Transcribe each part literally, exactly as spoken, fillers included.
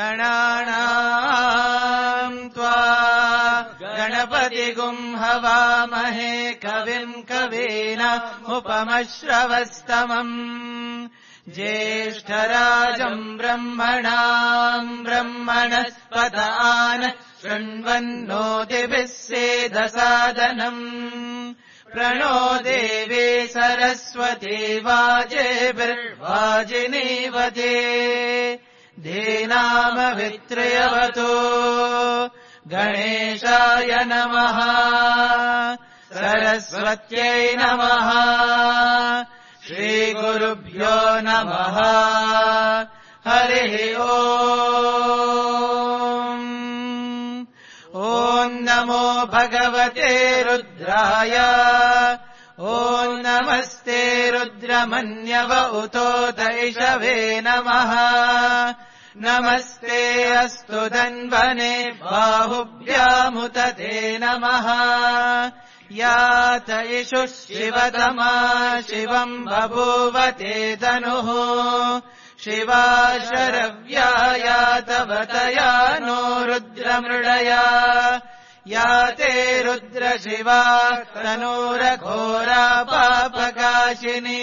गणानाम् त्वा गणपतिगुम् हवामहे कविम् कवीनामुपमश्रवस्तमम् ज्येष्ठराजम् ब्रह्मणाम् ब्रह्मणस्पत आन शृण्वन्नोतिभिः सेदसादनम् प्रणो देवी सरस्वती वाजेभिर्वाजिनीवते धेनामभित्रयवतो गणेशाय नमः सरस्वत्यै नमः श्रीगुरुभ्यो नमः हरिः ओम् ॐ नमो भगवते रुद्राय ॐ नमस्ते रुद्रमन्यव उतोत इषवे नमः नमस्ते अस्तु धन्वने बाहुभ्यामुत ते नमः यात इषुः शिवतमा शिवम् बभूवते तनुः शिवा शरव्या यातवतया नो रुद्रमृडया याते रुद्रशिवा तनूरघोरा पापकाशिनी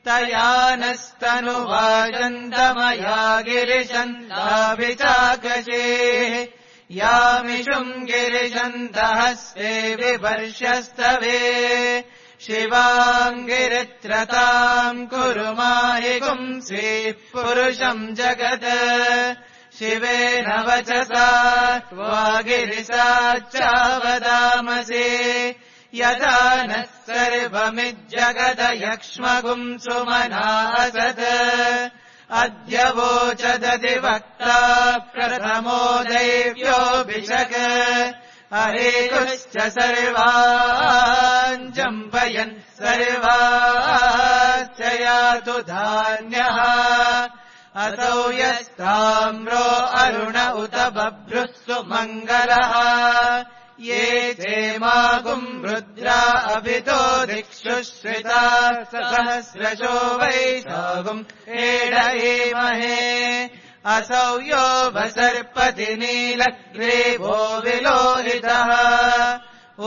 तया नस्तनुवाजन्तमया गिरिशन्ताभिचाकशे यामिषुम् गिरिशन्तहस्ते विवर्षस्तवे शिवाम् गिरित्रताम् कुरु माहि पुंसि पुरुषम् जगत् शिवेन वचसा त्वा गिरिसाच्चावदामसे यदा नः सर्वमिज्जगद यक्ष्मगुम् सुमना असत् अद्य वोचदधिवक्ता प्रथमो दैव्योऽभिषक् हरेकुश्च सर्वान् जम्पयन् सर्वाश्च यातु धान्यः असौ यस्ताम्रो अरुण उत बभ्रुः सुमङ्गलः ये क्षेमागुम् रुद्रा अभितो दिक्षु श्रिता सहस्रशो वैशागुम् एडयेमहे असौ यो वसर्पति नीलग्रीवो विलोहितः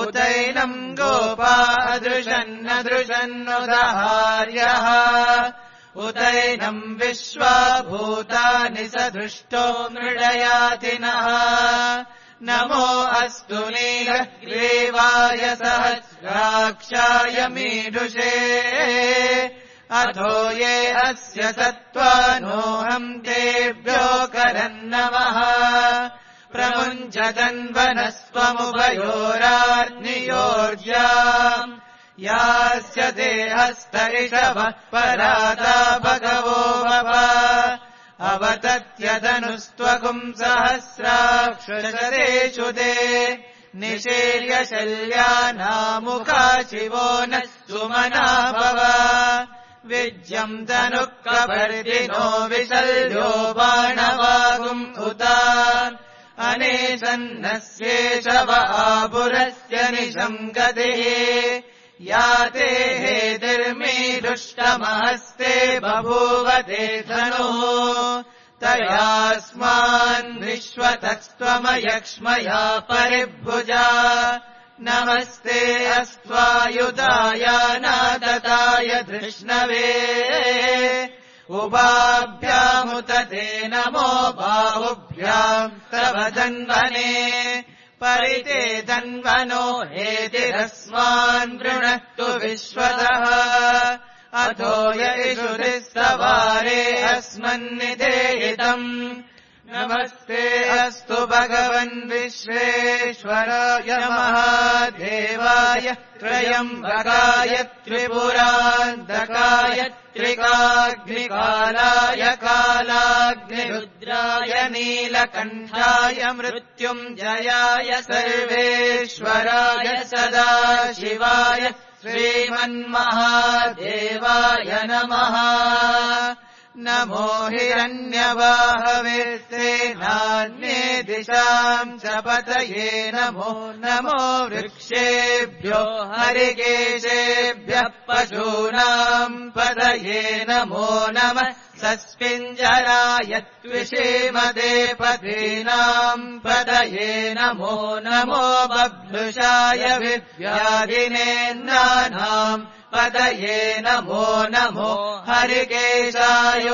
उतैनम् गोपा अदृशन्नदृशन्नुदहार्यः उतैनम् विश्वाभूतानि सदृष्टो मृडयातिनः नमो अस्तु नीलग्रीवाय सहस्राक्षाय मीडुषे अथो ये अस्य सत्त्वानोऽहम् तेभ्यो करन्नमः प्रमुञ्चतन्वनस्त्वमुभयोरार्नियोर्जाम् यास्य ते हस्त इषवः पराता भगवो भव अवतत्यदनुस्त्वगुम् सहस्राक्षरेषु ते निशीर्य शल्यानामुखा शिवो नः सुमना भव विज्यम् तनुः कपर्दिनो विशल्यो बाणवागुम् उता अनेशन्नस्येषव आपुरस्य निशम् गतिः याते हेतिर्मीदुष्टमहस्ते बभूवते धनुः तयास्मान् विश्वतस्त्वमयक्ष्मया परिभुजा नमस्ते अस्त्वायुधाय नादताय धृष्णवे उभाभ्यामुत ते नमो बाहुभ्याम् तव धन्वने परिते धन्वनो हेतिरस्मान् वृणक्तु विश्वतः अथो यैषुधिः सवारे अस्मन्निधेहितम् नमस्ते अस्तु भगवन् विश्वेश्वराय महादेवाय त्रयम्बकाय त्रिपुरान्तकाय त्रिकाग्निकालाय कालाग्निरुद्राय नीलकण्ठाय मृत्युञ्जयाय सर्वेश्वराय सदाशिवाय श्रीमन्महादेवाय नमः नमो हिरण्यवाहवे नान्ये दिशाम् च पतये नमो नमो वृक्षेभ्यो हरिकेशेभ्यः पशूनाम् पतये नमो नमः तस्मिञ्जराय त्विषीमदे पदीनाम् पदये नमो नमो बभ्रुषाय विव्याधिनेन्द्राणाम् पदये नमो नमो हरिकेशायोपवीतिने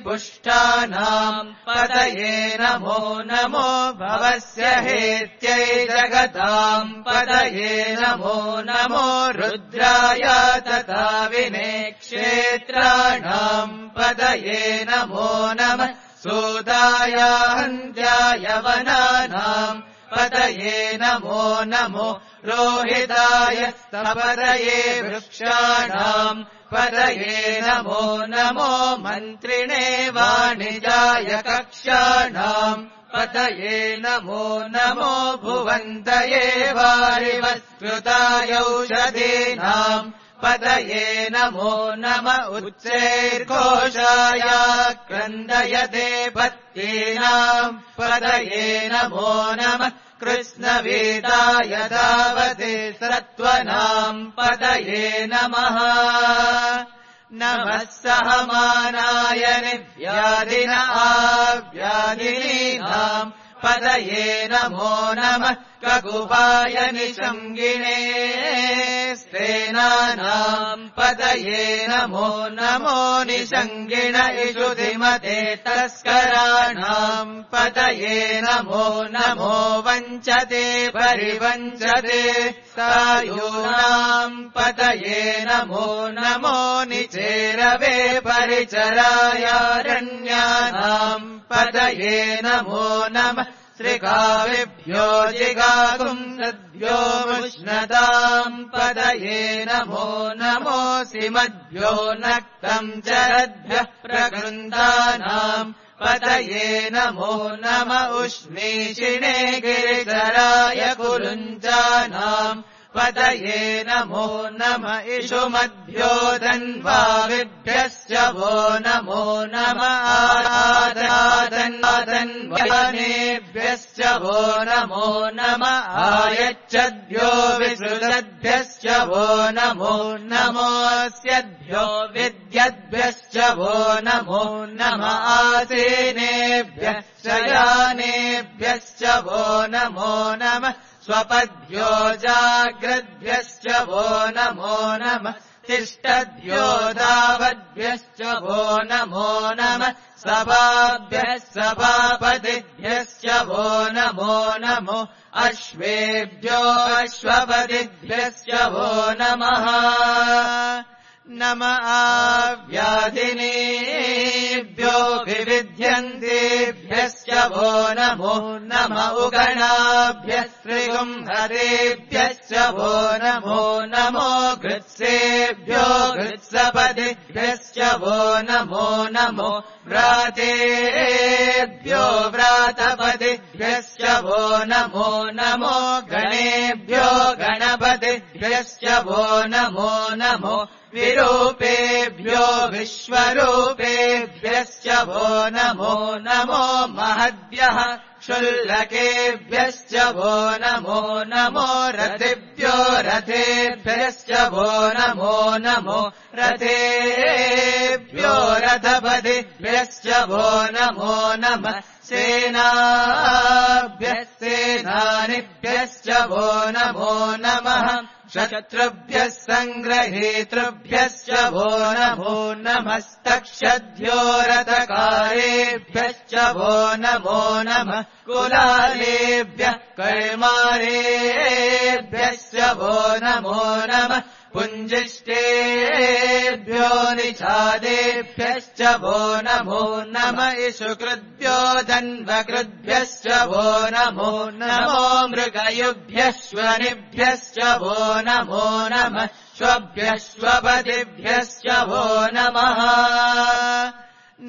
पुष्टानाम् पदये नमो नमो भवस्य हेत्यै जगताम् पदये नमो नमो रुद्राय तथा विने क्षेत्राणाम् पदये नमो नमः सूदाय हन्त्याय वनानाम् पदये नमो नमो रोहिताय स्तपदये वृक्षाणाम् पदये नमो नमो मन्त्रिणे वाणिजाय कक्षाणाम् पदये नमो नमो भुवन्तये वारिवस्कृताय औषधीनाम् पदये नमो नम उच्चैर्घोषाय क्रन्दयते पत्नीनाम् पदये नमो नमः कृष्णवेदाय धावते सत्त्वनाम् पदये नमः नमः सहमानाय निव्याधिन आव्याधिनीनाम् पदये नमो नमः ककुपाय निशङ्गिने स्तेनानाम् पदये नमो नमो निशङ्गिण इषुधिमते तस्कराणाम् पदये नमो नमो वञ्चते परिवञ्चते सायूनाम् पदये नमो नमो निचेरवे परिचरायारण्यानाम् पदये नमो नमः श्रीकाविभ्यो जिगाकुंसद्भ्यो मुष्णताम् पदये नमो नमोऽसिमद्भ्यो नक्तम् चरद्भ्यः प्रकृन्दानाम् पदये नमो नम उष्णीषिणे गिरिधराय कुरुञ्जानाम् पदये नमो नम इषुमद्भ्यो धन्वाविभ्यश्च वो नमो नम आदादन्वादन्वादन्वानेभ्यश्च वो नमो नम आयच्छद्भ्यो विसृजद्भ्यश्च वो नमो नमोऽस्यद्भ्यो विद्यद्भ्यश्च वो नमो नम आसेनेभ्यः शयानेभ्यश्च वो नमो नमः स्वपद्भ्यो जाग्रद्भ्यश्च वो नमो नमः तिष्ठद्भ्यो धावद्भ्यश्च वो नमो नमः सभाभ्यः सभापतिभ्यश्च वो नमो नमो अश्वेभ्यो अश्वपतिभ्यश्च वो नमः नम आव्याधिनेभ्यो विविध्यन्तेभ्यश्च वो नमो नम उगणाभ्यः श्रीगुंहरेभ्यश्च वो नमो नमो घृत्सेभ्यो घृत्सपतिभ्यश्च वो नमो नमो व्रातेभ्यो व्रातपतिभ्यश्च वो नमो नमो गणेभ्यो गणपतिभ्यश्च वो नमो नमो विरूपेभ्यो विश्वरूपेभ्यश्च वो नमो नमो महद्भ्यः क्षुल्लकेभ्यश्च वो नमो नमो रथेभ्यो रथेभ्यश्च वो नमो नमो रथेभ्यो रथपतिभ्यश्च वो नमो नमः सेनाभ्यः सेनानिभ्यश्च वो नमो नमः शत्रुभ्यः सङ्ग्रहेतृभ्यश्च वो नमो नमस्तक्षद्भ्यो रथकारेभ्यश्च वो नमो नमः कुलालेभ्यः कर्मारेभ्यश्च वो नमो नमः पुञ्जिष्टेभ्यो निषादेभ्यश्च वो नमो नम इषुकृद्भ्यो धन्वकृद्भ्यश्च वो नमो नमो मृगयुभ्यश्वनिभ्यश्च वो नमो नमः श्वभ्यश्वपतिभ्यश्च वो नमः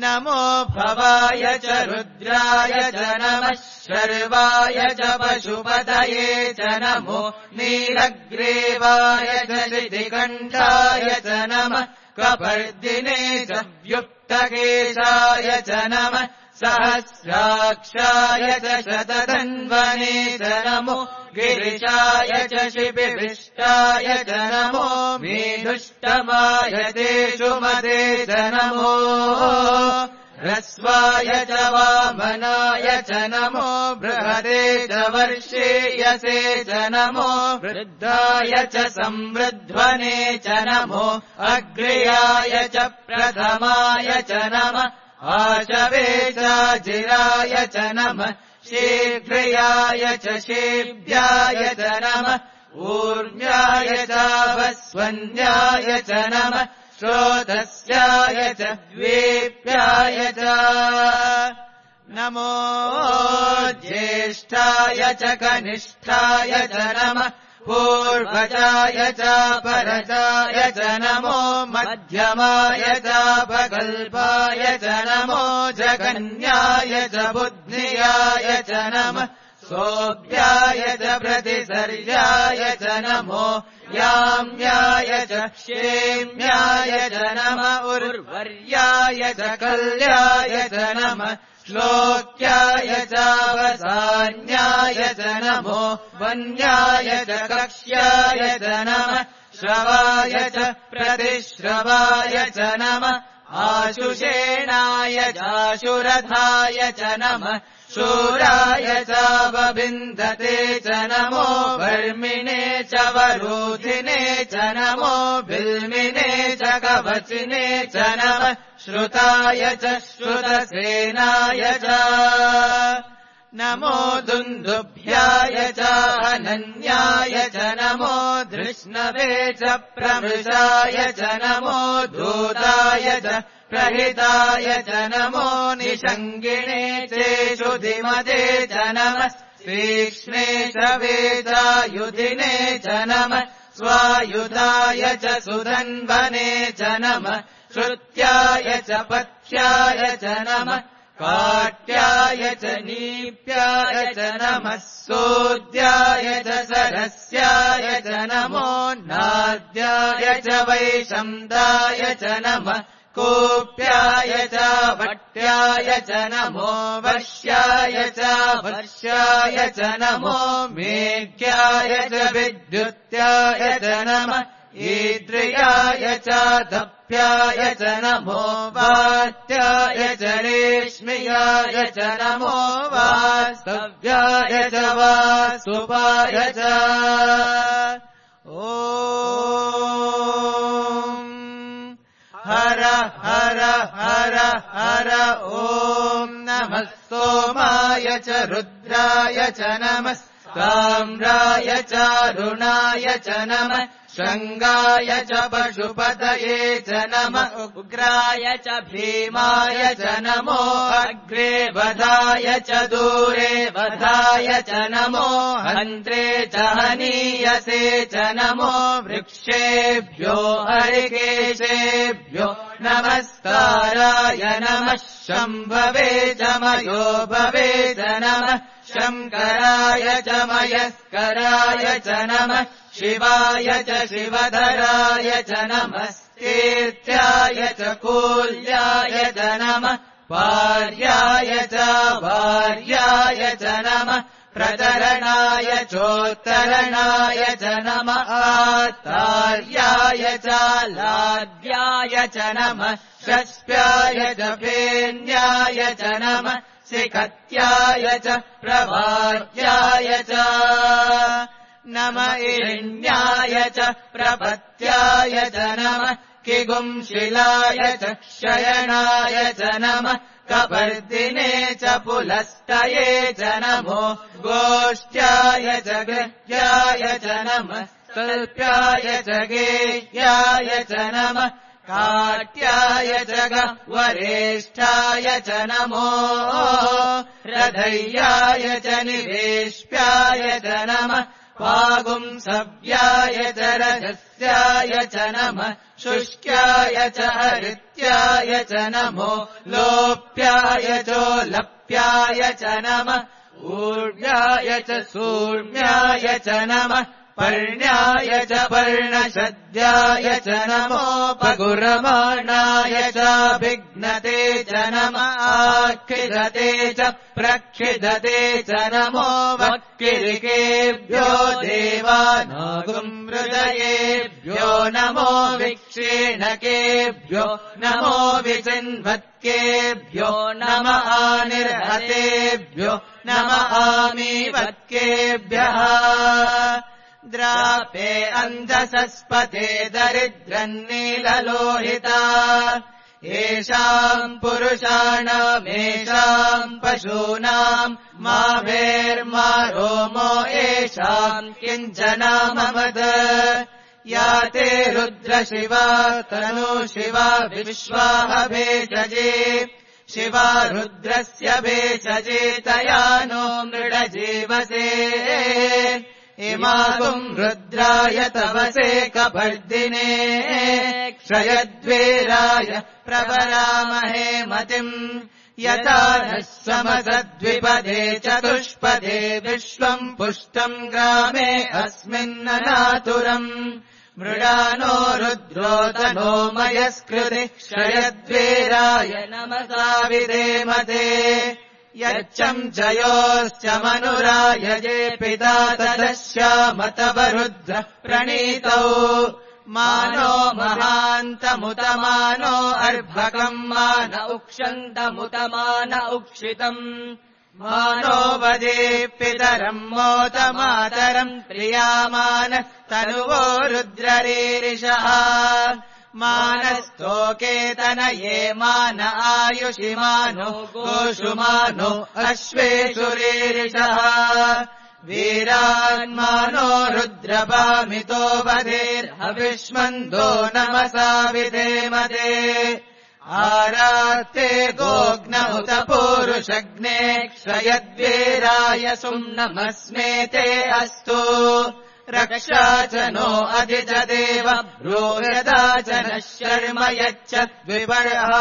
नमो भवाय च रुद्राय च नमः शर्वाय च पशुपतये च नमो नीलग्रीवाय च शितिकण्ठाय च नमः कपर्दिने च व्युक्तकेशाय च नमः सहस्राक्षाय च शतधन्वने च नमो गिरिशाय च शिबिविष्टाय च नमो मेधुष्टमाय तेषुमते च नमो ह्रस्वाय च वामनाय च नमो बृहते च वर्षेयसे च नमो वृद्धाय च संवृध्वने च नमो अग्र्याय च प्रथमाय च नमः आशवे चाजिराय च नमः शीघ्रयाय च शेभ्याय च नमः ऊर्म्याय चावस्वन्याय च नमः श्रोतस्याय च द्वेप्याय च नमो ज्येष्ठाय च कनिष्ठाय च नमः पूर्वजाय च परजाय च नमो मध्यमाय चापकल्पाय च नमो जगन्याय च बुद्ध्याय च नमः सोऽभ्याय च प्रतिसर्याय च नमो याम्याय च क्षेम्याय च नमः उर्वर्याय च कल्याय च नमः श्लोक्याय चावसान्याय च नमो वन्याय च कक्ष्याय च नमः श्रवाय च प्रतिश्रवाय च नमः आशुषेणाय चाशुरथाय च नमः शूराय चावविन्दते च नमो वर्मिणे च वरोधिने च नमो बिल्मिने च कवचिने च नमः श्रुताय च श्रुतसेनाय च नमो दुन्दुभ्याय च अनन्याय च नमो धृष्णवे च प्रमृषाय च नमो धूताय च प्रहिताय च नमो निषङ्गिणे चेषुधिमते च नमः तीक्ष्णे शवेचायुधिने च नमः स्वायुधाय च सुधन्वने च नमः श्रुत्याय च पथ्याय च नमः काट्याय च नीप्याय च नमः सोद्याय च सरस्याय च नमो नाद्याय च वैशम्दाय च नमः कोप्याय च भट्याय च नमो वश्याय च वर्ष्याय च नमो मेघ्याय च विद्युत्याय च नमः ईद्रियाय च दप्याय च नमो वात्याय च रेश्म्याय च नमो वास्तव्याय च वासुपाय च ॐ हर हर हर हर ॐ नमः सोमाय च रुद्राय च नमः ताम्राय च अरुणाय च नमः शृङ्गाय च पशुपतये च नमः उग्राय च भीमाय च नमो अग्रे वधाय च दूरे वधाय च नमो हन्त्रे च हनीयसे च नमो वृक्षेभ्यो हरिकेशेभ्यो नमस्काराय नमः शम्भवे च मयो भवे च नमः शङ्कराय च मयस्कराय च नमः शिवाय च शिवधराय च नमः तीर्थ्याय च कूल्याय च नमः पार्याय च भार्याय च नमः प्रचरणाय चोत्तरणाय च नमः आतार्याय च लाद्याय च नमः षष्प्याय च फेन्याय च नमः सिकत्याय च प्रभात्याय च नम इण्याय च प्रपत्याय च नमः किगुंशिलाय च शयनाय च नमः कपर्दिने च पुलस्तये च नमो गोष्ठ्याय च गृह्याय च नमः कल्प्याय च गेह्याय च नमः काट्याय च गह्वरेष्ठाय च नमो हृदयाय च निवेश्याय च नमः पागुंसव्याय च रजस्याय च नमः शुष्क्याय च हरित्याय च नमो लोप्याय चोलप्याय च नमः ऊर्व्याय च सूर्म्याय च नमः पर्ण्याय च पर्णशद्याय च नमोपगुरमाणाय चाभिघ्नते च नम आक्षिधते च प्रक्षिधते च नमो वक्किरिकेभ्यो देवानागुमृदयेभ्यो नमो विक्षेणकेभ्यो नमो विचिन्वत्केभ्यो नम आनिर्हतेभ्यो नम आमीवत्केभ्यः द्रापे अन्धसस्पते दरिद्रन्नीललोहिता येषाम् पुरुषाणामेषाम् पशूनाम् मा भेर्मा रोमो येषाम् किञ्चनामवद या ते रुद्रशिवा तनु शिवा विश्वाह भेषजे शिवा रुद्रस्य भेषजे तया नो मृडजीवसे इमागुम् रुद्राय तवसे कपर्दिने क्षयद्वीराय प्रवरामहे मतिम् यथा नः समसद्विपदे चतुष्पदे विश्वम् पुष्टम् ग्रामे अस्मिन्ननातुरम् मृडानो रुद्रोतनो मयस्कृति क्षयद्वीराय नमसा विधेमते यच्चम् जयोश्च मनुरायजे पिता तदश्यामतवरुद्र प्रणीतौ मानो महान्तमुतमानो अर्भकम् मान उक्षन्तमुतमान उक्षितम् मानो वदे पितरम् मोतमातरम् प्रियामान तनुवो रुद्ररीरिषः मानस्तोकेतनये मान आयुषिमानो गोषुमानो अश्वेषु रीरिषः वीरान्मानो रुद्रपामितो वधेर्हविष्मन्दो नमसा विधेमते आरात्ते गोग्नहुत पूरुषग्ने क्षयद्वीराय सुम्नमस्मेते अस्तु रक्षा च नो अधि च देव ब्रूयदा च नः शर्म यच्छद्विपर्हाः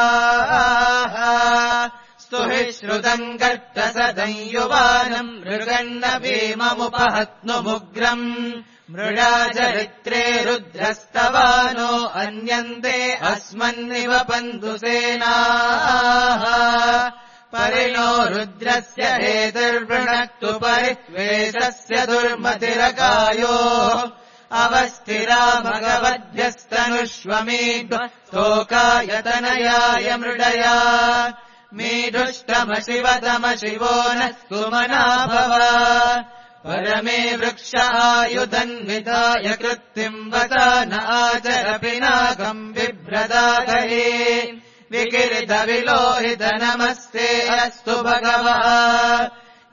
स्तुहि श्रुतम् गर्तसदंयुवानम् मृगन्न भीममुपहत्नुमुग्रम् मृडाचरित्रे रुद्रस्तवानो अन्यन्ते अस्मन्निव पन्धुसेनाः परिणो रुद्रस्य हेतुर्वृणक्तु परित्वेषस्य दुर्मतिरकायो अवस्थिरा भगवद्भ्यस्तनुष्वमीड्व स्तोकायतनयाय मृडया मीढुष्टमशिवतमशिवो नः सुमना भव परमे वृक्ष आयुधन्विताय कृत्तिम् वसा न आचर पिनाकम् बिभ्रदागहे विकिरितविलोहित नमस्ते अस्तु भगवः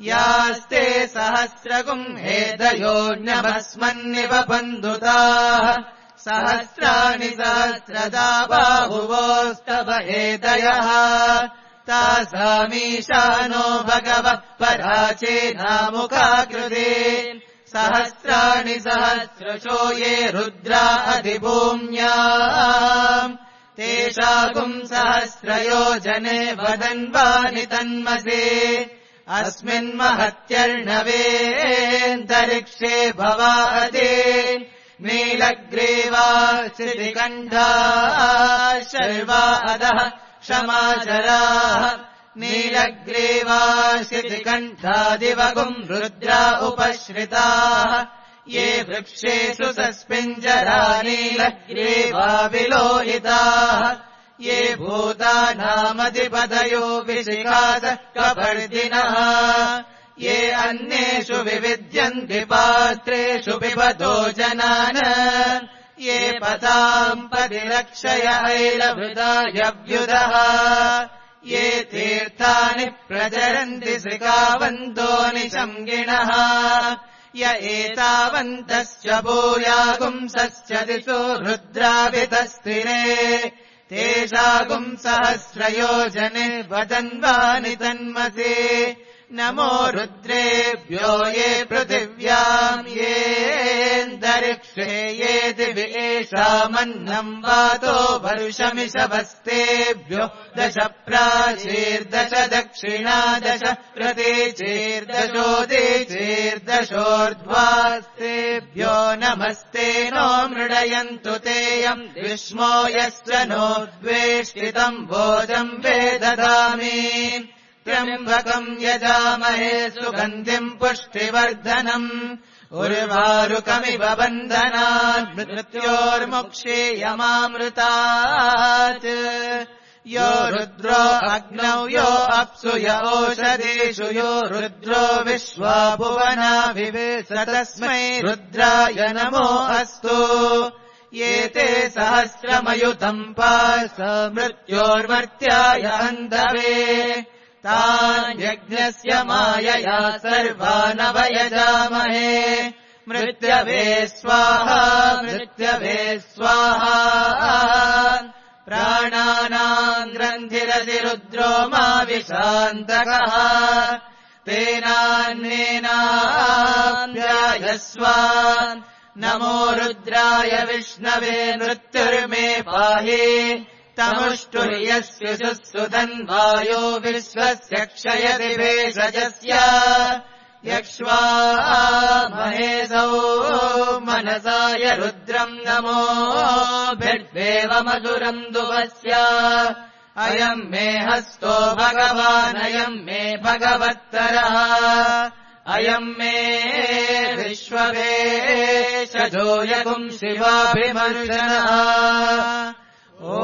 यास्ते सहस्रगुम् हेदयोऽन्यमस्मन्निव बन्धुताः सहस्राणि सहस्रदा बाहुवोस्तव हेदयः तासामीशानो भगवः पराचेनामुखाकृते सहस्राणि सहस्रशो ये रुद्रा अधिभूम्याम् तेषाकुम् सहस्रयोजने वदन्वानि तन्मसे अस्मिन्महत्यर्णवेऽन्तरिक्षे भवादे नीलग्रीवा श्रुतिकण्ठा शर्वा अधः क्षमाचराः नीलग्रीवा श्रुतिकण्ठादिवगुम् रुद्रा उपश्रिताः ये वृक्षेषु सस्मिञ्जरा नीलग्रीवा विलोहिताः ये भूतानामधिपतयो विशिखासः कपर्दिनः ये अन्येषु विविद्यन्ति पात्रेषु पिबतो जनान् ये पताम् परिरक्षय ऐलभृतायव्युधः ये तीर्थानि प्रचरन्ति श्रिकावन्तो निशङ्गिणः य एतावन्तश्च भूयागुंसश्च दिशो रुद्रावितस्थिरे तेषागुम् सहस्रयोजने वदन्वानि तन्मसे नमो रुद्रेभ्यो ये पृथिव्याम् येऽन्तरिक्षे ये दिवि येषामन्नम् वातो वर्षमिषभस्तेभ्यो दश प्राचीर्दश दक्षिणा दश प्रतीचीर्दशोदीचीर्दशोर्ध्वास्तेभ्यो नमस्ते नो मृडयन्तु तेयम् विष्मो यस्य नो द्वेष्टितम् भोजम् वेदधामि त्र्यम्बकम् यजामहे सुगन्धिम् पुष्टिवर्धनम् उर्वारुकमिव बन्धनात् मृत्योर्मुक्षीयमामृतात् यो रुद्रो अग्नौ यो अप्सु य ओषधीषु यो रुद्रो विश्वा भुवनाभिवेश तस्मै रुद्राय नमो अस्तु ये ते सहस्रमयुतम् पास मृत्योर्मर्त्याय अन्धवे तान् यज्ञस्य मायया सर्वानवयजामहे मृत्यवे स्वाहा मृत्यवे स्वाहा प्राणानाम् ग्रन्थिरसि रुद्रो मा विशान्तकः तेनान्नेनाभ्यायस्व नमो रुद्राय विष्णवे मृत्युर्मे पाहि तमुष्टुर्यस्य सुसुधन्वायो विश्वस्य क्षयति भेषजस्य यक्ष्वा महेशौ मनसाय रुद्रम् नमो भिर्देवमधुरम् दुवस्य अयम् मे हस्तो भगवानयम् मे भगवत्तरः अयम् मे विश्ववेशजो यगुम् शिवाभिमर्शनः ॐ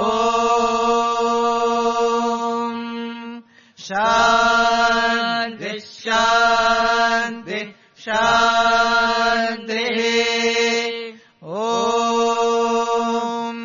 शान्ति शान्ति शान्तिः ॐ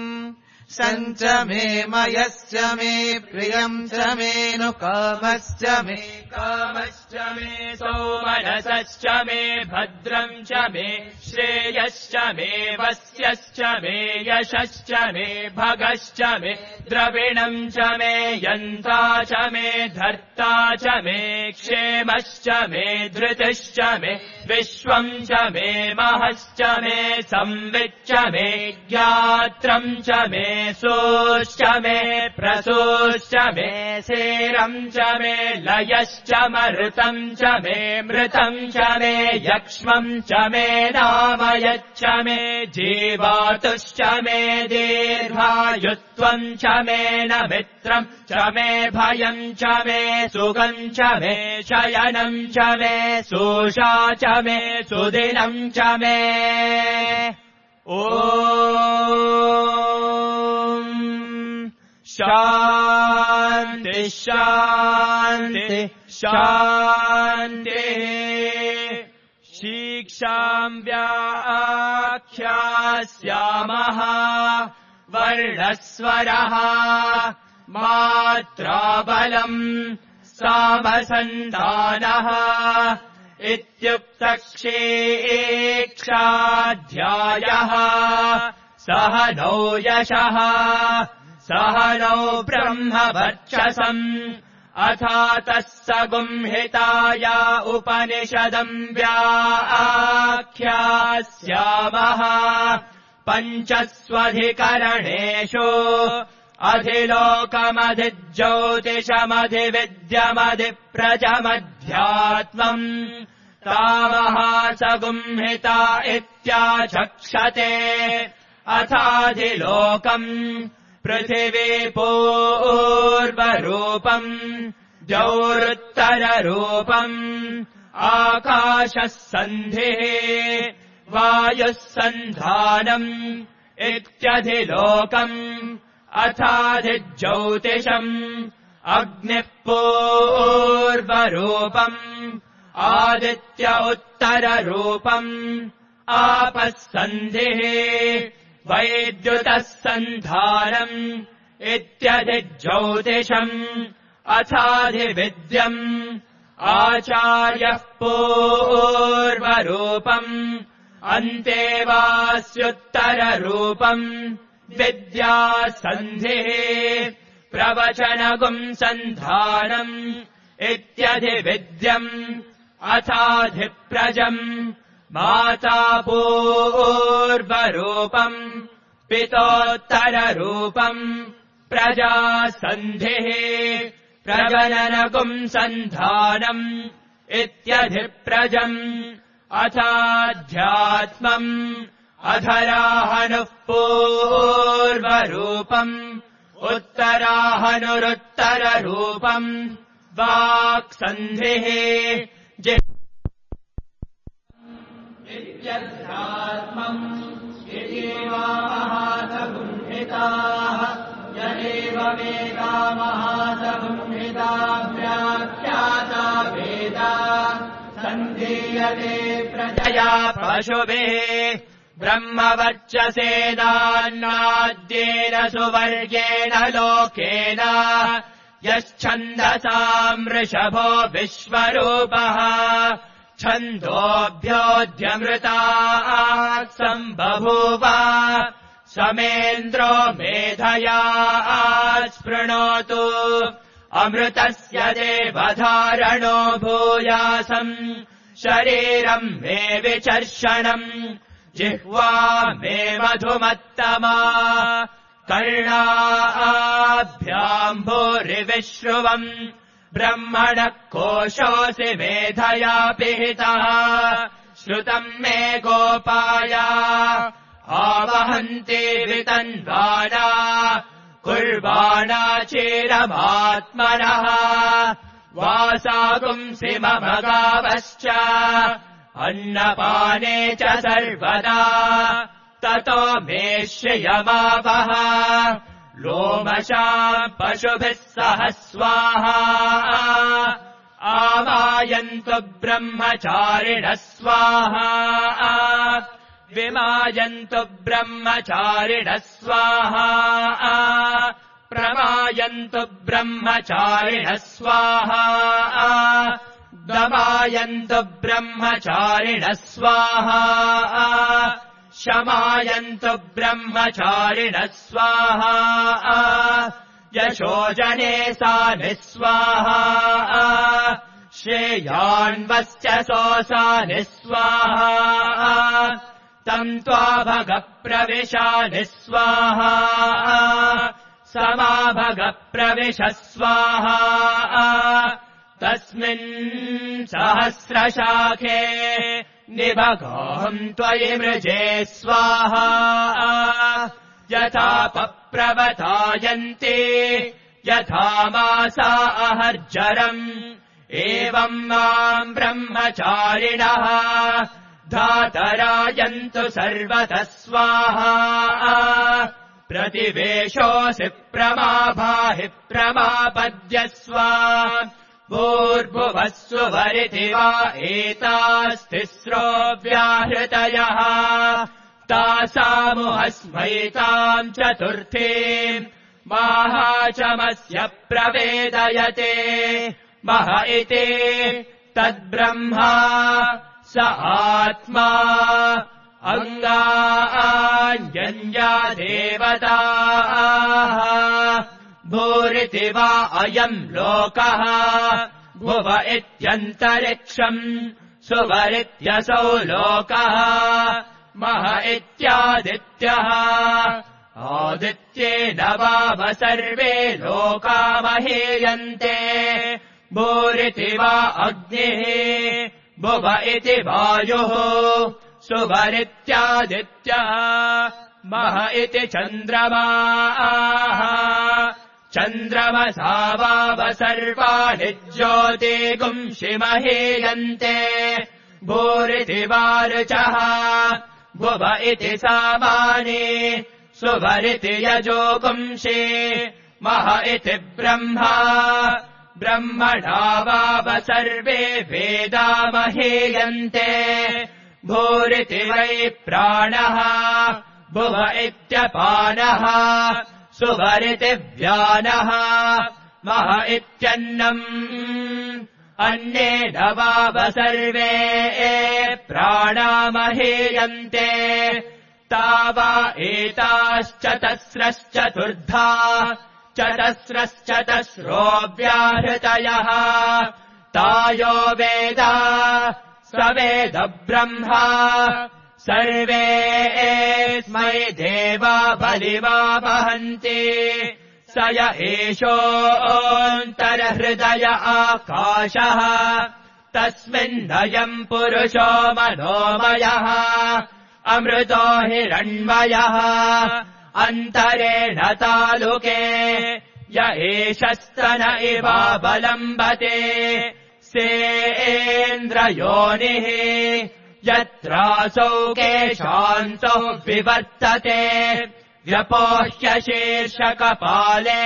सञ्च मे मयश्च मे प्रियम् च मे नु कामश्च मे कामश्च मे सौमनसश्च मे भद्रम् च मे श्रेयश्च मे वस्यश्च मे यशश्च मे भगश्च मे द्रविणम् च मे यन्ता च मे धर्ता च मे क्षेमश्च मे धृतिश्च मे विश्वम् च मे महश्च मे संविच्च मे ज्ञात्रम् च मे सोश्च मे प्रसोश्च मे सेरम् च मे लयश्च मरुतम् च मे मृतम् च मे यक्ष्मम् च मे नामयच्च मे जीवातुश्च मे दीर्घायुत्वम् च मे न मित्रम् च मे भयम् च मे सुखम् च मे शयनम् च मे सोषा च मे सुदिनम् च मे ॐ शान्ति शान्ति शान्तिः शिक्षाम् व्याख्यास्यामः वर्णस्वरः मात्राबलम् सामसन्धानः इत्युक्तक्षेक्षाध्यायः सह नौ यशः सह नौ ब्रह्मवर्चसम् अथातः सगुंहिताय उपनिषदम् व्याख्यास्यामः पञ्चस्वधिकरणेषु अधिलोकमधिज्योतिषमधिविद्यमधिप्रजमध्यात्मम् तामहासगुंहिता इत्याचक्षते अथाधिलोकम् पृथिवी पूर्वरूपम् द्यौरुत्तररूपम् आकाशः सन्धिः वायुः सन्धानम् इत्यधिलोकम् अथाधिज्योतिषम् अग्निः पूर्वरूपम् आदित्य उत्तररूपम् आपः सन्धिः वैद्युतः सन्धानम् इत्यधिज्योतिषम् अथाधिविद्यम् आचार्यः पूर्वरूपम् अन्तेवास्युत्तररूपम् विद्या सन्धिः प्रवचनगुम् सन्धानम् इत्यधिविद्यम् अथाधिप्रजम् माता पूर्वरूपम् पितोत्तररूपम् प्रजासन्धिः प्रजननकुम् सन्धानम् इत्यधिप्रजम् अथाध्यात्मम् अधराहनुः पूर्वरूपम् उत्तराहनुरुत्तररूपम् वाक्सन्धिः इत्यध्यात्मम् इतीमाहासगुण्हिताः यदेवमेका महासगुण्हिता व्याख्याता वेदा सन्धीयते प्रजया पशुभिः ब्रह्मवर्चसेनान्नाद्येन सुवर्गेण लोकेन यश्छन्दसाम् वृषभो विश्वरूपः छन्दोभ्योऽध्यमृतात् सम्बभूव समेन्द्रो मेधया स्पृणोतु अमृतस्य देवधारणो भूयासम् शरीरम् मे विचर्षणम् जिह्वा मे मधुमत्तमा कर्णाभ्याम् भूरिविश्रुवम् ब्रह्मणः कोशोऽसि मेधया पिहितः श्रुतम् मे गोपाय आवहन्ति वितन्वाना कुर्वाणा चिरमात्मनः वासागुंसि मम गावश्च अन्नपाने च सर्वदा ततो मे श्रियमावह लोमशाम् पशुभिः सह स्वाहा आमायन्तु ब्रह्मचारिणः स्वाहा विमायन्तु ब्रह्मचारिणः स्वाहा प्रमायन्तु ब्रह्मचारिणः स्वाहा दमायन्तु ब्रह्मचारिणः स्वाहा शमायन्तु ब्रह्मचारिणः स्वाहा यशोजने सानि स्वाहा श्रेयान्वश्च सोऽसानि स्वाहा तम् त्वा भगप्रविशानि स्वाहा समाभगप्रविश स्वाहा तस्मिन् सहस्रशाखे निभगाम् त्वयि मृजे स्वाहा यथा पप्रवतायन्ति यथा मासा अहर्जरम् एवम् माम् ब्रह्मचारिणः धातरायन्तु सर्वतः स्वाहा प्रतिवेशोऽसि प्रमाभाहि प्रमापद्यस्व भूर्भुवस्सु वरिति वा एतास्तिस्रो व्याहृतयः तासामुहस्मैताम् चतुर्थीम् माहाचमस्य प्रवेदयते मह इति तद्ब्रह्मा स आत्मा अङ्गान्यन्या देवताः भूरिति वा अयम् लोकः भुव इत्यन्तरिक्षम् सुवरित्यसौ लोकः मह इत्यादित्यः आदित्येन वाव सर्वे लोका महीयन्ते भूरिति वा अग्निः भुव इति वायुः सुवरित्यादित्यः मह इति चन्द्रमाः चन्द्रमसा वाव सर्वाणि ज्योतिगुंषि महीयन्ते भूरिति वारुचः भुव इति सामानि सुवरिति यजोगुंषि मह इति ब्रह्मा ब्रह्मणा वाव सर्वे वेदा महीयन्ते भूरिति वै प्राणः भुव इत्यपानः सुवरिति व्यानः मह इत्यन्नम् अन्येन वाव सर्वे प्राणा महीयन्ते तावा एताश्चतस्रश्चतुर्धा चतस्रश्चतस्रो व्याहृतयः तायो वेदा स वेद ब्रह्मा सर्वेऽस्मै देवा बलिमावहन्ति स य एषोऽन्तर्हृदय आकाशः तस्मिन्नयम् पुरुषो मनोमयः अमृतो हिरण्मयः अन्तरेण तालुके य एषस्तन इवावलम्बते सेन्द्रयोनिः यत्रासौ केशान्तौ विवर्तते व्यपोह्य शीर्षकपाले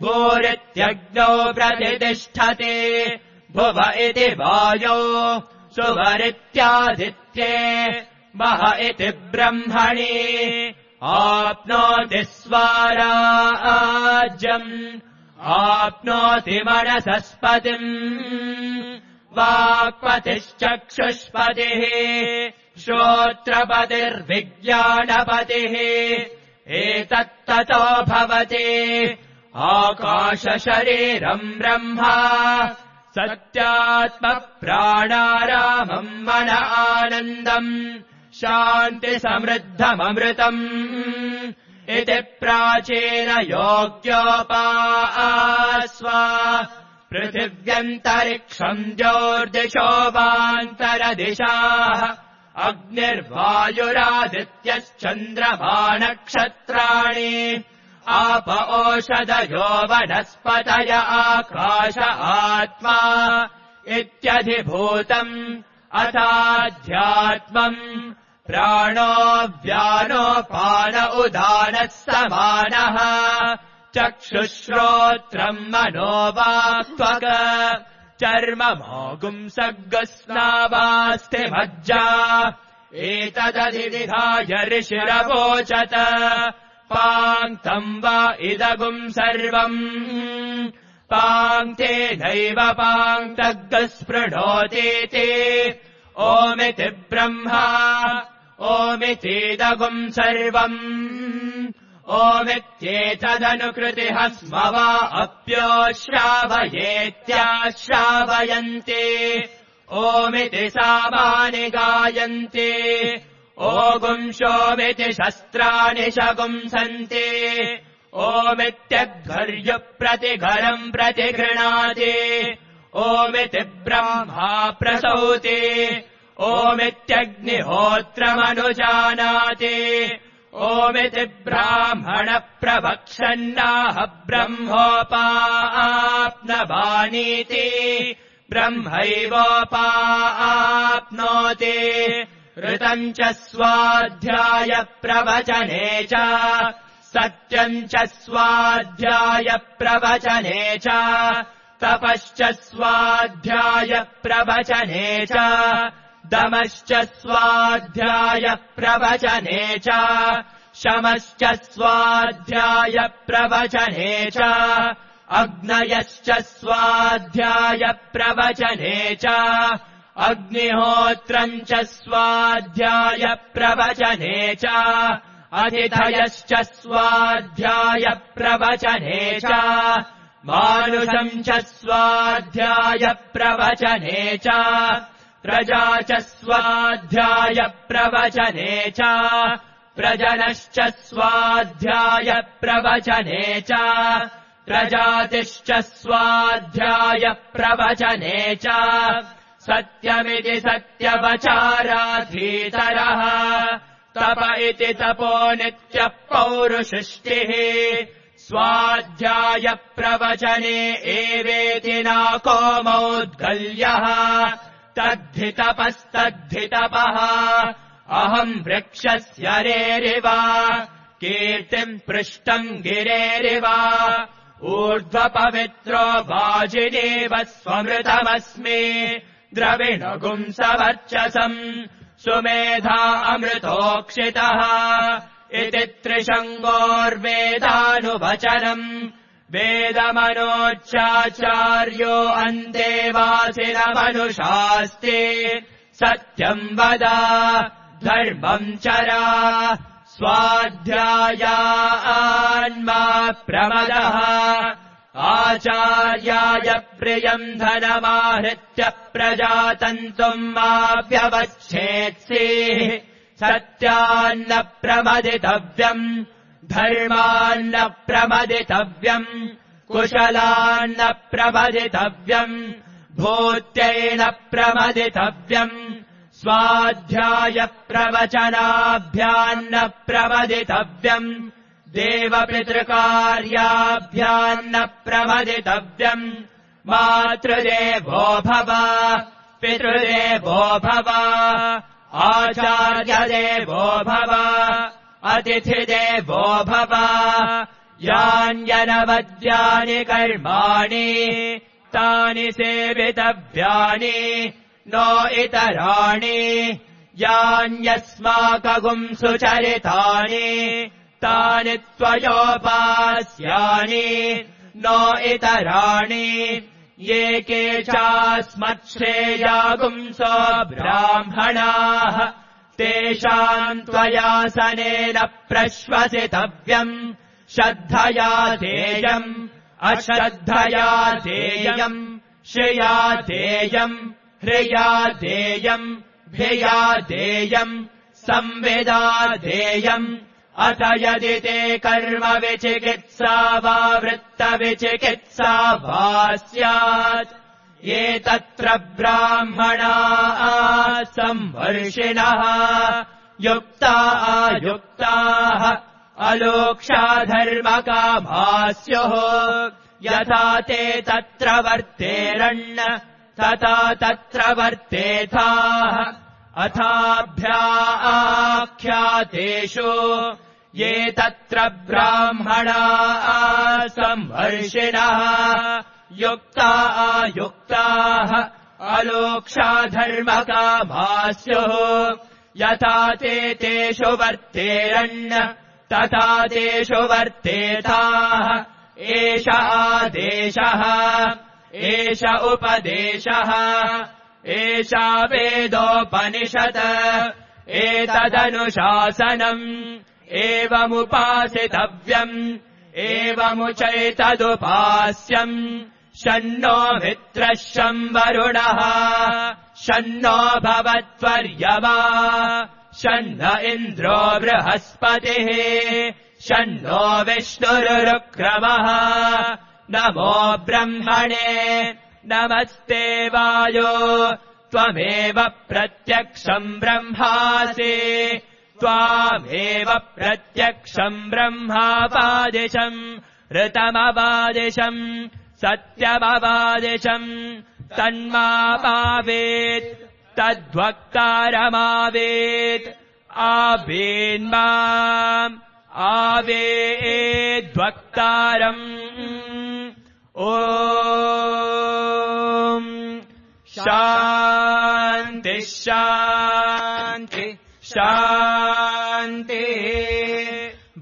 भूरित्यग्नौ प्रतिष्ठते भुव इति वायौ सुवरित्यादित्ये मह इति ब्रह्मणि आप्नोति स्वराज्यम् आप्नोति मनसस्पतिम् वाक्पतिश्चक्षुष्पतिः श्रोत्रपतिर्विज्ञानपतिः एतत्ततो भवति आकाशशरीरम् ब्रह्मा सत्यात्मप्राणारामम् मन आनन्दम् शान्तिसमृद्धममृतम् इति प्राचीनयोग्योपास्वा पृथिव्यन्तरिक्षम् ज्योर्दिशो वान्तरदिशाः अग्निर्वायुरादित्यश्चन्द्रमा नक्षत्राणि आप ओषधयो वनस्पतय आकाश आत्मा इत्यधिभूतम् अथाध्यात्मम् प्राणो व्यानोपान उदानः समानः चक्षुश्रोत्रम् मनोवाक्त्वक चर्ममोगुंसग्स्नावास्ति मज्जा एतदधिविधाय ऋषिरवोचत पाङ्क्तम् वा इदगुम् सर्वम् पाङ्क्तेनैव पाङ्क्तग्स्पृणोतीति ओमिति ब्रह्मा ओमितीदगुम् सर्वम् ओमित्येतदनुकृतिः स्म वा अप्योश्रावयेत्याश्रावयन्ति ओमिति सामानि गायन्ति ओगुंशोमिति शस्त्राणि शगुंसन्ति ओमित्यघर्युप्रतिघरम् प्रतिगृह्णाति ओमिति ब्रह्मा प्रसौति ओमित्यग्निहोत्रमनुजानाति ओमिति ब्राह्मण प्रवक्षन्नाह ब्रह्मोपाप्नवानीति ब्रह्मैवोपाप्नोति ऋतम् च स्वाध्याय प्रवचने च सत्यम् च स्वाध्याय प्रवचने च तपश्च स्वाध्याय प्रवचने च दमश्च स्वाध्याय प्रवचने च शमश्च स्वाध्याय प्रवचने च अग्नयश्च स्वाध्याय प्रवचने च अग्निहोत्रम् च स्वाध्याय प्रवचने च अधिधयश्च स्वाध्याय प्रवचने च मानुषम् च स्वाध्याय प्रवचने च प्रजा च स्वाध्याय प्रवचने च प्रजनश्च स्वाध्याय प्रवचने च प्रजातिश्च स्वाध्याय प्रवचने च सत्यमिति सत्यवचाराधीतरः तप इति तपो नित्यः पौरुषिष्टिः स्वाध्याय प्रवचने एवेति नाको मौद्गल्यः तद्धि तपस्तद्धि तपः अहम् वृक्षस्य रेरिव कीर्तिम् पृष्टम् गिरेरिव ऊर्ध्वपवित्रो वाजिनेव स्वमृतमस्मि द्रविणगुंसवर्चसम् सुमेधा अमृतोक्षितः इति त्रिशङ्गोर्वेदानुवचनम् वेदमनोच्चाचार्यो अन्तेवासिनमनुषास्ति सत्यम् वद धर्मम् चरा स्वाध्यायान्मा प्रमदः आचार्याय प्रियम् धनमाहृत्य प्रजातन्तुम् मा व्यवच्छेत्सेः सत्यान्न प्रमदितव्यम् धर्मान्न प्रमदितव्यम् कुशलान्न प्रमदितव्यम् भूत्यैन प्रमदितव्यम् स्वाध्याय प्रवचनाभ्यान्न प्रमदितव्यम् देवपितृकार्याभ्यान्न प्रमदितव्यम् मातृदेवो भव पितृदेवो भव आचार्यदेवो भव अतिथिदेवो भव यान्यनवद्यानि कर्माणि तानि सेवितव्यानि नो इतराणि यान्यस्माकगुम् सुचरितानि तानि त्वयोपास्यानि नो इतराणि ये केचास्मच्छ्रेयागुंसो ब्राह्मणाः तेषाम् त्वयासनेन प्रश्वसितव्यम् श्रद्धया देयम् अश्रद्धया देयम् श्रिया देयम् ह्रिया देयम् भिया देयम् संविदा देयम् अथ यदि ते कर्म विचिकित्सा वा वृत्तविचिकित्सा वा स्यात् ये तत्र ब्राह्मणाः संवर्षिणः युक्ता अयुक्ताः अलोक्षाधर्मकामाः स्युः यथा ते तत्र वर्तेरन् तथा तत्र वर्तेथाः अथाभ्याख्यातेषु ये तत्र ब्राह्मणाः संवर्षिणः युक्ता अयुक्ताः अलोक्षाधर्मकामाः स्युः यथा ते तेषु वर्तेरन् तथा तेषु वर्तेथाः एष आदेशः एष उपदेशः एषा वेदोपनिषत् एतदनुशासनम् एवमुपासितव्यम् एवमुचैतदुपास्यम् शन्नो मित्रः शं वरुणः शन्नो भवत्वर्यमा शन्न इन्द्रो बृहस्पतिः शन्नो विष्णुरुक्रमः नमो ब्रह्मणे नमस्ते वायो त्वमेव प्रत्यक्षम् ब्रह्मासि त्वामेव प्रत्यक्षम् ब्रह्मावादिशम् ऋतमवादिशम् सत्यमवादिशम् तन्मावेत् तद्वक्तारमावेत् आवेन्माम् आवेद्वक्तारम् ॐ शान्ति शान्ति शान्ति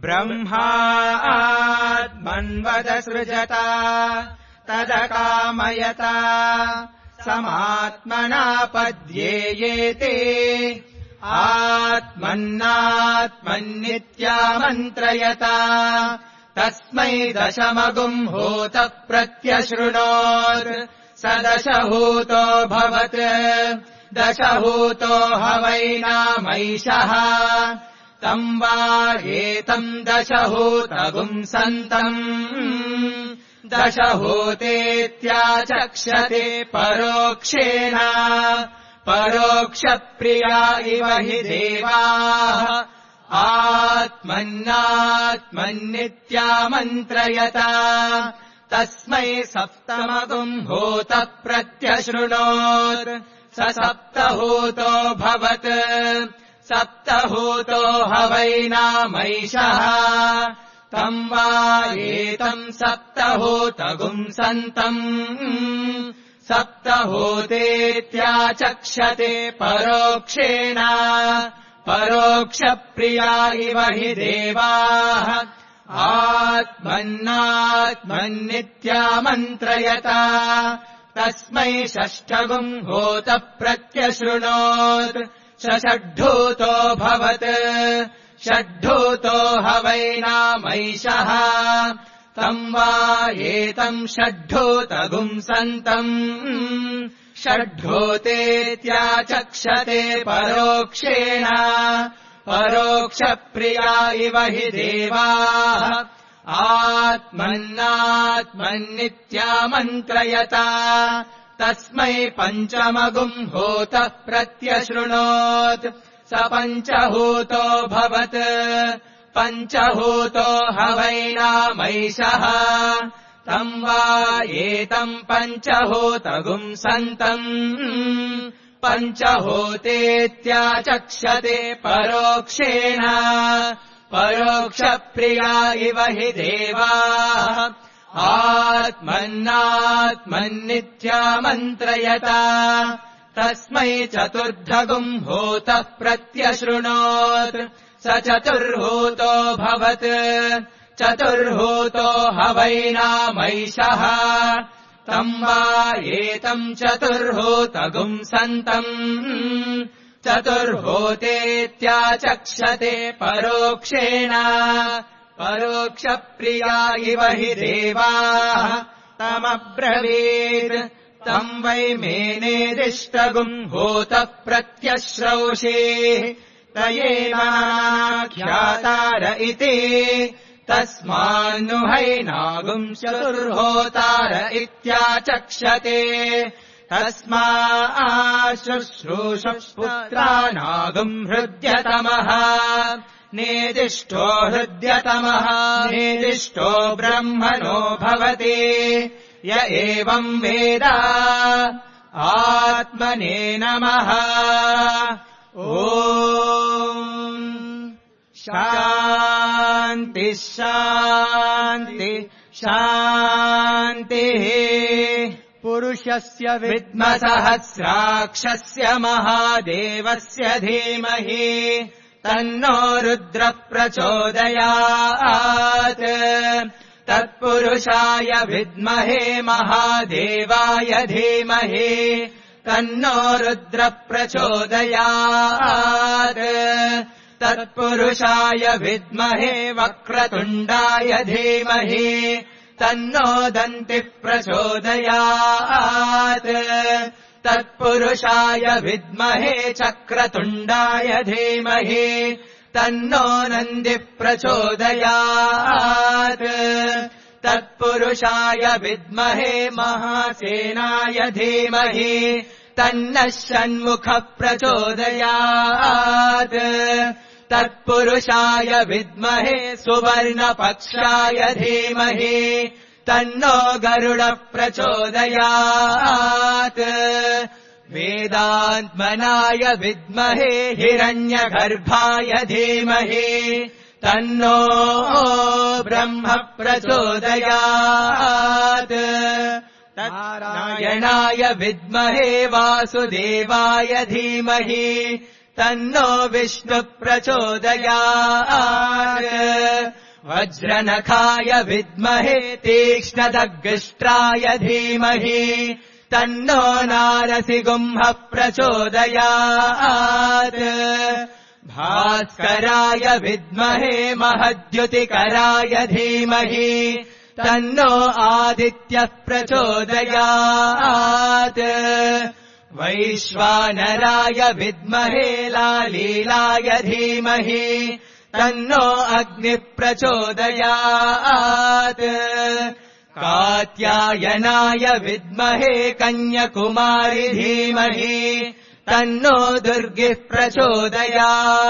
ब्रह्मात्मन्वदसृजता तदकामयता समात्मना पद्येयेते आत्मन्नात्मन्नित्यामन्त्रयता तस्मै दशमगुम् होत प्रत्यशृणोत् स दशहूतो भवत् दशहूतो हवैनामैषः तम् वा एतम् दशहूतगुम् सन्तम् दशहूतेत्याचक्षते परोक्षेण परोक्षप्रिया इव हि देवाः आत्मन्नात्मन्नित्यामन्त्रयता तस्मै सप्तमगुम् होत प्रत्यशृणोत् स सप्तहूतो भवत् सप्तहूतो हवैनामैषः तम् वा एतम् सप्तहूतगुम् सन्तम् सप्तहूतेत्याचक्षते परोक्षेण परोक्षप्रिया इव हि देवाः आत्मन्नात्मन्नित्यामन्त्रयता तस्मै षष्ठगुम् होत प्रत्यशृणोत् स षड्ढूतो भवत् षड्ढूतो हवैनामैषः तम् वा एतम् षड्ढूतगुम् सन्तम् षड्ढूतेत्याचक्षते परोक्षेण परोक्षप्रिया इव हि देवाः आत्मन्नात्मन्नित्यामन्त्रयता तस्मै पञ्चमगुम् होतः प्रत्यशृणोत् स पञ्चहूतोऽभवत् पञ्चहूतो हवैनामैषः तम् वा एतम् पञ्चहूतगुम् सन्तम् पञ्चहूतेत्याचक्षते परोक्षेण परोक्षप्रिया इव हि देवाः आत्मन्नात्मन्नित्यामन्त्रयता तस्मै चतुर्धगुम् होतः प्रत्यशृणोत् स चतुर्हूतो भवत् चतुर्हूतो हवैनामैषः तम् वा एतम् चतुर्हूतगुम् सन्तम् चतुर्हूतेत्याचक्षते परोक्षेण परोक्षप्रिया इव हि देवाः तमब्रवीत् तम् वै मेनेदिष्टगुम् होतः प्रत्यश्रौषे तयेवाख्यातार इति तस्मान्नुहैनागुम् चतुर्होतार इत्याचक्षते तस्मा शुश्रूषः पुत्रानागुम् हृद्यतमः नेदिष्टो हृद्यतमः नेदिष्टो ब्रह्मणो भवति य एवम् वेद आत्मने नमः ॐ शान्ति शान्ति शान्तिः पुरुषस्य विद्मसहस्राक्षस्य महादेवस्य धीमहि तन्नो रुद्रः प्रचोदयात् तत्पुरुषाय विद्महे महादेवाय धीमहि तन्नो रुद्रः प्रचोदयात् तत्पुरुषाय विद्महे वक्रतुण्डाय धीमहि तन्नो दन्तिः प्रचोदयात् तत्पुरुषाय विद्महे चक्रतुण्डाय धीमहि तन्नो नन्दिः प्रचोदयात् तत्पुरुषाय विद्महे महासेनाय धीमहि तन्नः षण्मुखः प्रचोदयात् तत्पुरुषाय विद्महे सुवर्णपक्षाय धीमहि तन्नो गरुडः प्रचोदयात् वेदात्मनाय विद्महे हिरण्यगर्भाय धीमहि तन्नो ब्रह्म प्रचोदयात् नारायणाय विद्महे वासुदेवाय धीमहि तन्नो विष्णुः प्रचोदयात् वज्रनखाय विद्महे तीक्ष्णदग्ष्ट्राय धीमहि तन्नो नारसिंहः प्रचोदयात् भास्कराय विद्महे महद्युतिकराय धीमहि तन्नो आदित्यः प्रचोदयात् वैश्वानराय विद्महे लालीलाय धीमहि तन्नो अग्निः प्रचोदयात् कात्यायनाय विद्महे कन्याकुमारी धीमहि तन्नो दुर्गिः प्रचोदयात्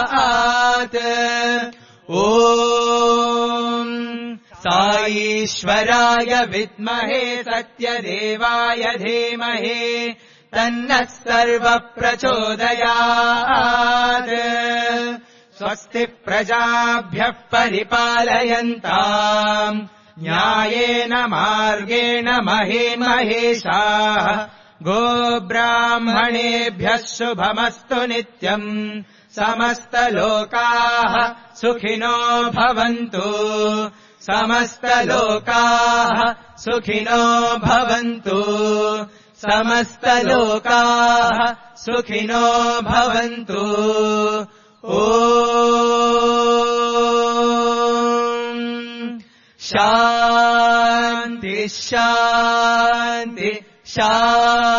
ॐ साईश्वराय विद्महे सत्यदेवाय धीमहि तन्नः सर्वः प्रचोदयात् स्वस्ति प्रजाभ्यः परिपालयन्ताम् न्यायेन मार्गेण महीमहेशाः गोब्राह्मणेभ्यः शुभमस्तु नित्यम् समस्तलोकाः सुखिनो भवन्तु समस्तलोकाः सुखिनो भवन्तु समस्तलोकाः सुखिनो भवन्तु। ओ शान्ति शान्ति शान्तिः